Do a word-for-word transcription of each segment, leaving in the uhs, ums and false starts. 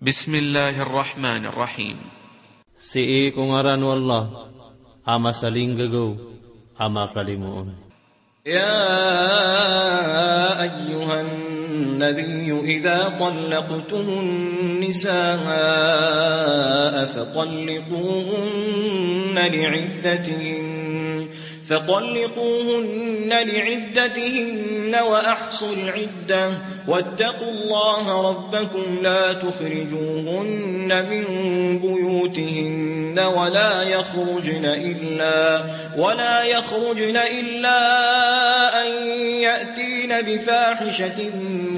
Bismillahir Rahmanir Rahim. Sii ko ngaran o Allah, a masalinggagaw, a makalimoon. يا أيها النبي إذا طلقتم النساء فطلقوهن لعدتهن، فطلقوهن لعدتهن وأحصوا العدة، واتقوا الله ربكم لا تخرجوهن من بيوتهن ولا يخرجن إلا، ولا يخرجن إلا أن يأتين بفاحشة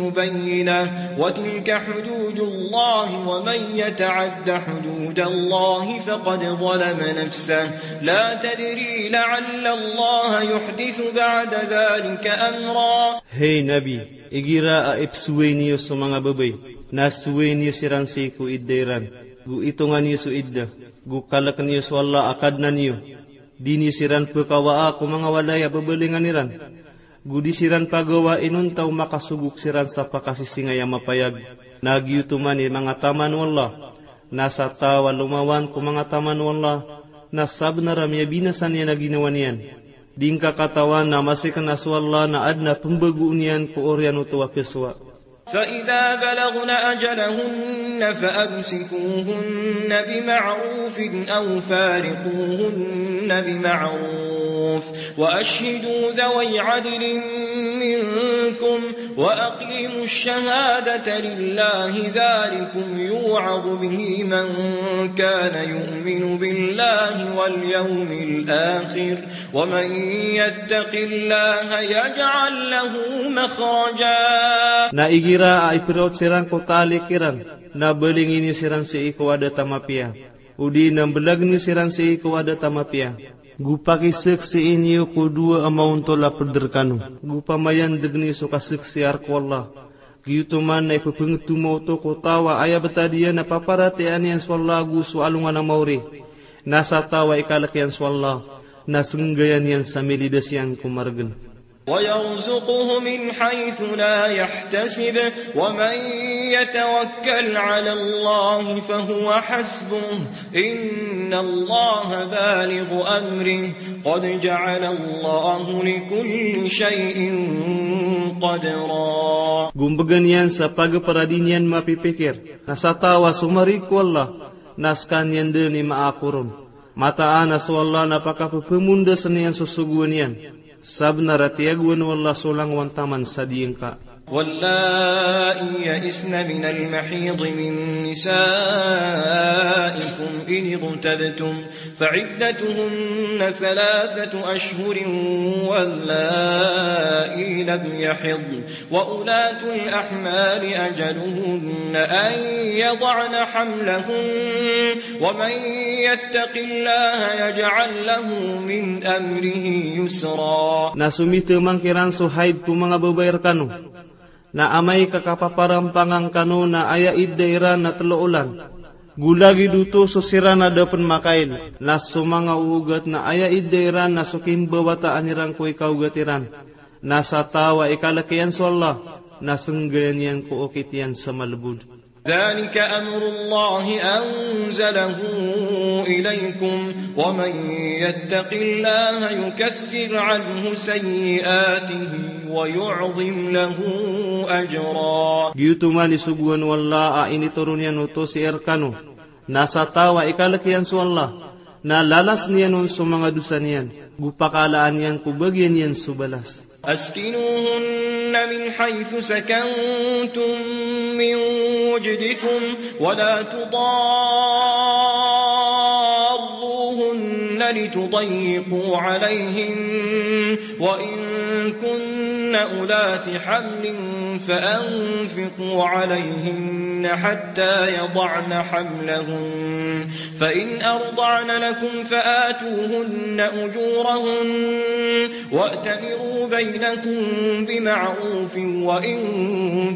مبينة، وتلك حدود الله، ومن يتعد حدود الله فقد ظلم نفسه، لا تدري لعل الله يحدث بعد ذلك أمرا. Hay Nabi, igira a ipsoway niyo so manga babay, na soway niyo siran sii ko idda iran, go itonga niyo so idda, go kalk niyo so Allah a Kadnan iyo. Di niyo siran pkawaa ko manga walay a babalingan iran, go di siran pagawa inonta o makasogok siran sa pakasisingay a mapayag. Na giyoto man i manga taman o Allah, na sa taw a lomawan ko manga taman o Allah, na sabnar a miyabinasa niyan a ginawa niyan. Di ngka katawan a masikn a so Allah na adn a pmbagoon iyan ko oriyan oto a kasowa. فإذا بلغن أجلهن فأمسكوهن بمعروف أو فارقوهن بمعروف، وأشهدوا ذوي عدل منكم، وأقيموا الشهادة لله، ذلكم يوعظ به من كان يؤمن بالله واليوم الآخر، ومن يتق الله يجعل له مخرجا. Na igira a ipraot siran ko talik iran, na balingi niyo siran sii ko adat a mapiya, odi na mblagn iyo siran sii ko adat a mapiya. Go pakisaksii niyo ko dowa a maontol a pd rkano, go pamayandg niyo so kasaksiya rk o Allah. Giyoto man na ipphangtoma oto ko taw a aya btad iyan a paparatiyayaan iyan so Allah ago so alongan a maori. Na sa taw a ikalk iyan so Allah, na snggayan iyan sa milidas iyan ko margn. ويرزقه من حيث لا يحتسب، ومن يتوكل على الله فهو حسبه، إن الله بالغ أمره، قد جعل الله لكل شيء قدرا. Go mbgan iyan sa pagapara di niyan mapipikir, na sa taw a somarig ko Allah, na skaniyan dn i maakoron. Mataan a so Allah na pakapphamondasn iyan so sogoan iyan. Sabnar a tiyagoan o Allah so langowan taman sa diyangka. واللائي يئسن من المحيض من نسائكم إن ارتبتم فعدتهن ثلاثة أشهر واللائي لم يحضن وأولاة الأحمال أجلهن أن يضعن حملهن ومن يتق الله يجعل له من أمره يسرا. Na somitmang kiran so haid ko manga babay rkano, na amay ka kapaparampangan kano na aya idda iran na tlo olan. Go lagid oto so siran a da pn makail, na so manga oogat na aya idda iran na so kimbawataan iran ko ikaogat iran. Na sa taw a ikalk iyan so Allah, na snggayan iyan ko okit iyan sa malbod. ذلك أمر الله أنزله إليكم ومن يتق الله يكفر عنه سيئاته ويعظم له أجرا. Giyoto man i sogoan o Allah a initoron iyan oto sii rkano. Na sa taw a ikalk iyan so Allah, na lalasn iyan on so manga dosa niyan, go pakaalaan iyan ko bagian iyan so balas. أسكنوهن من حيث سكنتم من وجدكم ولا تضاروهن لتضيقوا عليهن، وإن كن أولات حمل فأنفقوا عليهن حتى يضعن حملهن، فإن أرضعن لكم فآتوهن أجورهن، وأتمروا بينكم بمعروف، وإن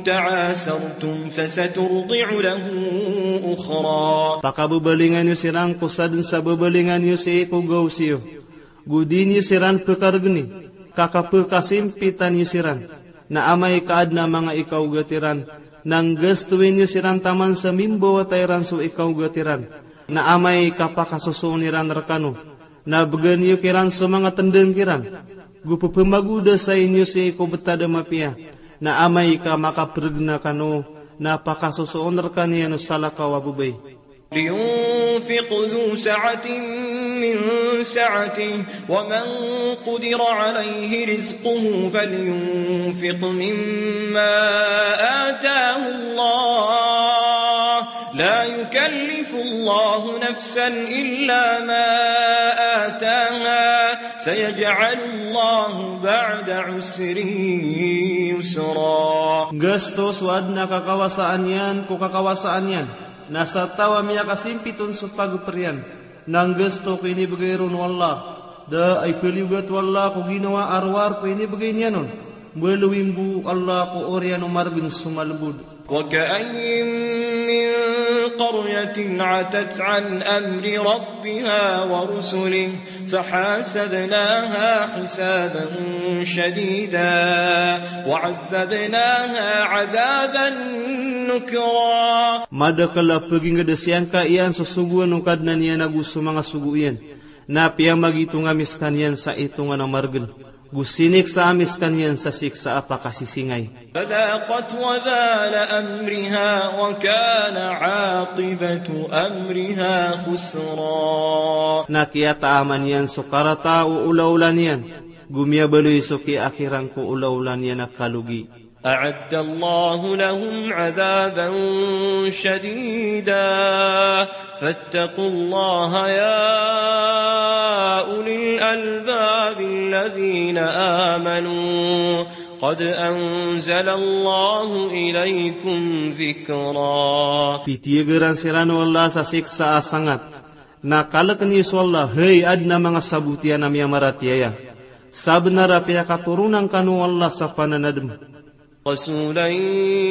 تعاسرتم فسترضع له أخرى. Pakababalingan iyo siran ko sadn sa babalingan iyo sii ko gaos iyo. Go di niyo siran pkargni, ka kapkasimpitan iyo siran. Na amay ka adn a manga ikaogat iran, Na nggastoin iyo siran taman sa mimbawata iran so ikaogat iran. Na amay ka pakasosoon iran rkano, na bgan iyo kiran so manga tndg iran. Go ppmagodasain iyo sii ko btad a mapiya. Na amay ka makaprgna kano, na pakasosoon rkaniyan o salakaw a babay. لينفق ذو سعة من سعته، ومن قدر عليه رزقه فلينفق مما آتاه الله، لا يكلف الله نفسا إلا ما آتاها، سيجعل الله بعد عسر يسرا. Nggasto so adn a kakawasaan iyan ko kakawasaan iyan, na sa taw a miyakasimpit on so pagpr iyan, na nggasto ko inibgay ron o Allah. Da a ipaliyogat o Allah ko ginawa a rowar ko inibgay niyan on. Mbaloy mbo o Allah ko oriyan o margn so malbod. وكأين من قرية عتت عن أمر ربها ورسله فحاسبناها حسابا شديدا وعذبناها عذابا نكرا. Madakl a pagingd a siyangka iyan so sogoan o Kadnan iyan ago so manga sogo iyan. Na piyamagitonga ami skaniyan sa itongan a margn. Go siniksaa ami skaniyan sa siksa a pakasisingay. فذاقت وبال أمرها وكان عاقبة أمرها خسرا. Na kiyataaman iyan so karata o olaola niyan, go miyabaloy so kiyaakhiran ko olaola niyan a kalogi. أعد الله لهم عذابا شديدا فاتقوا الله يا أولي الألباب الذين آمنوا قد أنزل الله إليكم ذكرا. Pitiyagaran siran o Allah sa siksa a sangat. Na kalkn iyo so Allah, hay adn a manga sabot iyan a miyamaratiyaya. Sabnar a piyakatoronan kano o Allah sa pananadm. رسولا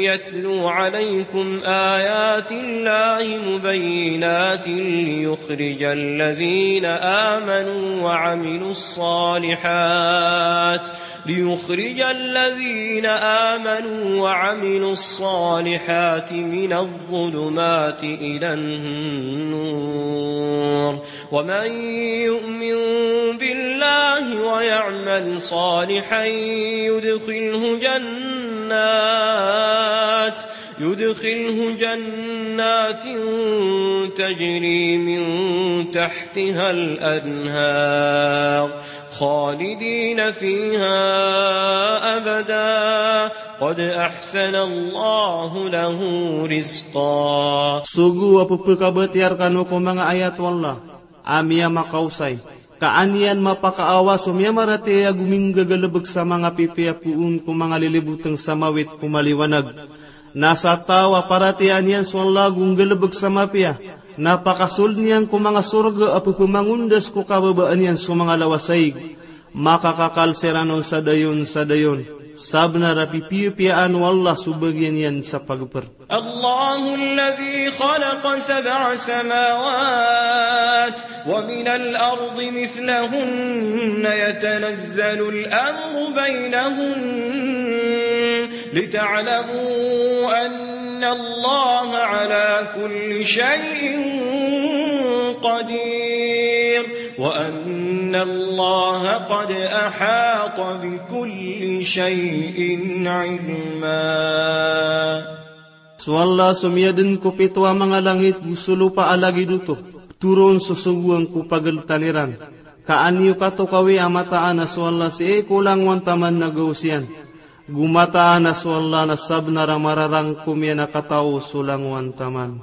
يتلو عليكم آيات الله مبينات ليخرج الذين آمنوا وعملوا الصالحات، ليخرج الذين آمنوا وعملوا الصالحات من الظلمات إلى النور، ومن يؤمن بالله ويعمل صالحا يدخله جنات، يدخله جنات تجري من تحتها الأنهار خالدين فيها أبدا قد أحسن الله له رزقا. Sogo a pphakabatiyar kano ko manga ayat o Allah a miyamakaosay, ka an iyan mapakaawa so miyamaratiyaya go minggagalbk sa manga pipiya poon ko manga lilibotng sa mawit ko maliwanag. Na sa taw a paratiyayaan iyan so Allah go nggalbk sa mapiya, na pakasold iyan ko manga sorga a pphamangondas ko kababaan iyan so manga lawasaig. Makakakal siran on sa dayon sa dayon. Sabnar a pipiyapiyaan o Allah so bagian iyan sa pagpr. الله الذي خلق سبع سماوات ومن الأرض مثلهن يتنزل الأمر بينهن لتعلموا أن الله على كل شيء قدير وأن الله قد أحاط بكل شيء علما. So Allah so miyadn ko pito a manga langit go so lopa a lagid oto, pthoron so sogoan ko pagltan iran. Ka an iyo katokawi a mataan a so Allah sii ko langowan taman na gaos iyan. Go mataan a so Allah na sabnar a mararangkom iyan a katao so langowan taman.